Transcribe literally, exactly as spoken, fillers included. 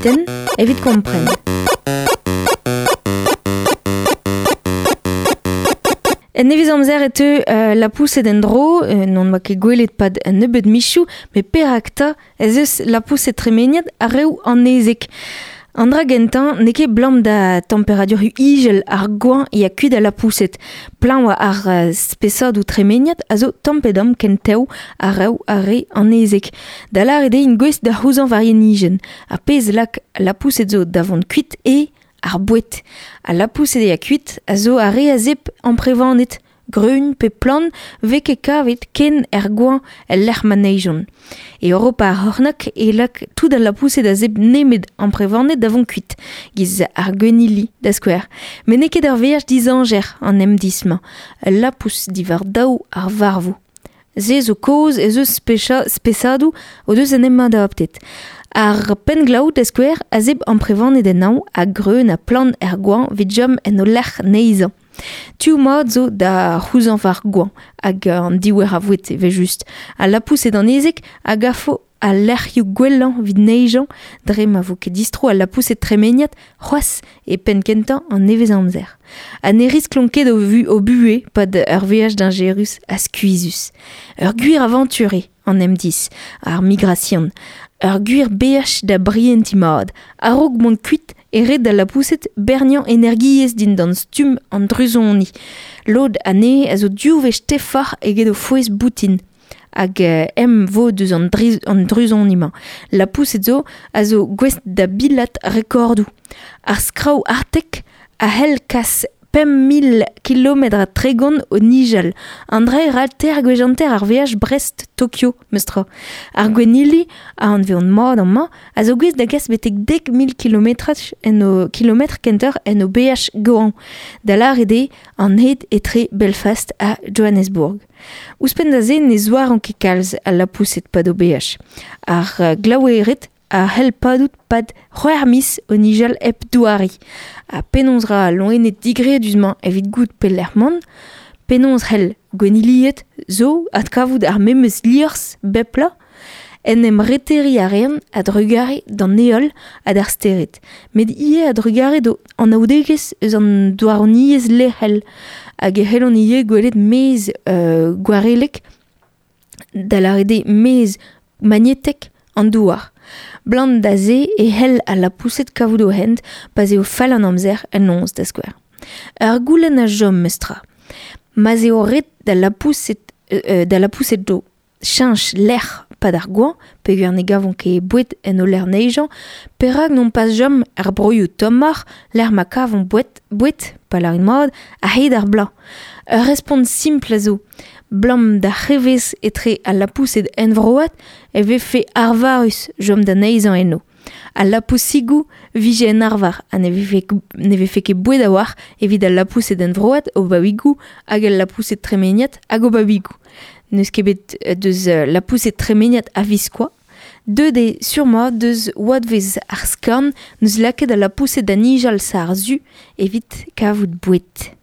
tutenn evit kompren. En nevez amzer e teu euh, lapoused en-dro, euh, n'on oa ket gwelet pad un nebeud michoù, met perak 'ta ez eus lapoused tremeniat a reoù an ezek. An dra gentañ n'eo ket blam da temperadur ijel ar goañ ya kuit a lapoused. Plañ oa ar uh, spesadoù tremeniat a zo tamm-pe-damm ken tev a reoù ar re an ezek. Da lâret eo int gouest da c'houzañv war yenijenn. Ar pezh lak lapoused zo da vont kuit eo ar boued. Al lapoused ya kuit a zo ar re a zebr amprevaned, greun pe plant vez ket kavet ken er goañ el lec'h ma neizhont. E Europa ar c'hornôg e lak tout al lapoused a zebr nemet amprevaned da vont kuit, giz ar gwennili da skouer. Met n'eo ket ur veaj dizañjer an emdizh-mañ, ul lapous diwar daou ar varvo. Se zo kaoz ez eus specha, spesadoù o deus en em adaptet. Ar pennglaou da skouer a zebr amprevaned en hañv ha greun ha plant er goañv evit chom en o lec'h neizhañ. Tuoù mat zo da c'houzañv ar goañv hag an diouer a voued evel-just. Al lapoused an ezek a gafo al lec'hioù gwellañ evit neizhañ dre ma vo ket distro al lapoused tremeniat c'hoazh e penn-kentañ an nevez-amzer. Ha ne risklont ket o, vu, o buhez pad ur veaj dañjerus ha skuizhus. Ur gwir avantur eo an emdizh, ar migrasion. Ur gwir beaj da brientiñ mat. A-raok mont kuit e ret d'al lapoused berniañ energiezh dindan stumm an druzoni. Lod anezhe a zo div wech tefoc'h eget o fouez boutin. Hag euh, em vo deus an, driz, an druzoni-mañ. Lapoused zo a zo gouest da bilat rekordoù. Ar skrav artek a c'hell kas pemp mil kilometr ha tregont o nijal. An dra e ra teir gwech hanter ar veaj Brest-Tokyo, meus tra. Ar gwennili, a anveont mat amañ, a zo gouest da gas betek dek mil kilometraj en o kilometr kentoc'h en o beaj goañv. Da lâret eo an hed etre Belfast ha Johannesburg. Ouzhpenn da se ne zouaran ket kalz al lapoused pad o beaj. Ar uh, glaouered a c'hell padout pad c'hwec'h miz o nijal hep douariñ. Ha penaos ra al loened digredus-mañ evit goût pelec'h mont, penaos c'hell gwennilied zo adkavout ar memes liorzh bep bloaz, en em reteriñ a reont a-drugarez d'an heol ha d'ar stered. Met ivez a-drugarez d'o anaoudegezh eus an douaroniezh lec'hel hag e c'hellont ivez gwelet maez euh, gwarellek, da lâret eo maez magnetek an douar. Blant da se e c'hell al lapoused kavout o hent pa'z eo fall an amzer en noz da skouer. Ur goulenn a chom meus tra. Ma'z eo ret da lapoused, euh, da lapoused do cheñch lec'h pad ar goañv, peogwir ne gavont ket boued en o lec'h neizhañ, perak n'omp pas chom er broioù tommoc'h lec'h ma kavont boued, boued, pa lârin mat, a-hed ar bloaz. Ur respont simpl a zo. Blam da c'hrevez etre al lapoused envroat e vefe arvarus chom da neizhañ eno. Al lapousigoù vije en arvar ha ne vefe, ne vefe ket boued a-walc'h evit al lapoused envroat o babigoù hag al lapoused tremeniat hag o babigoù. N'eus ket bet deus lapoused tremeniat a-viskoazh. Deuet eo sur-mat deus oadvezh ar skorn n'eus lakaet al lapoused da nijal sa ar su evit kavout boued.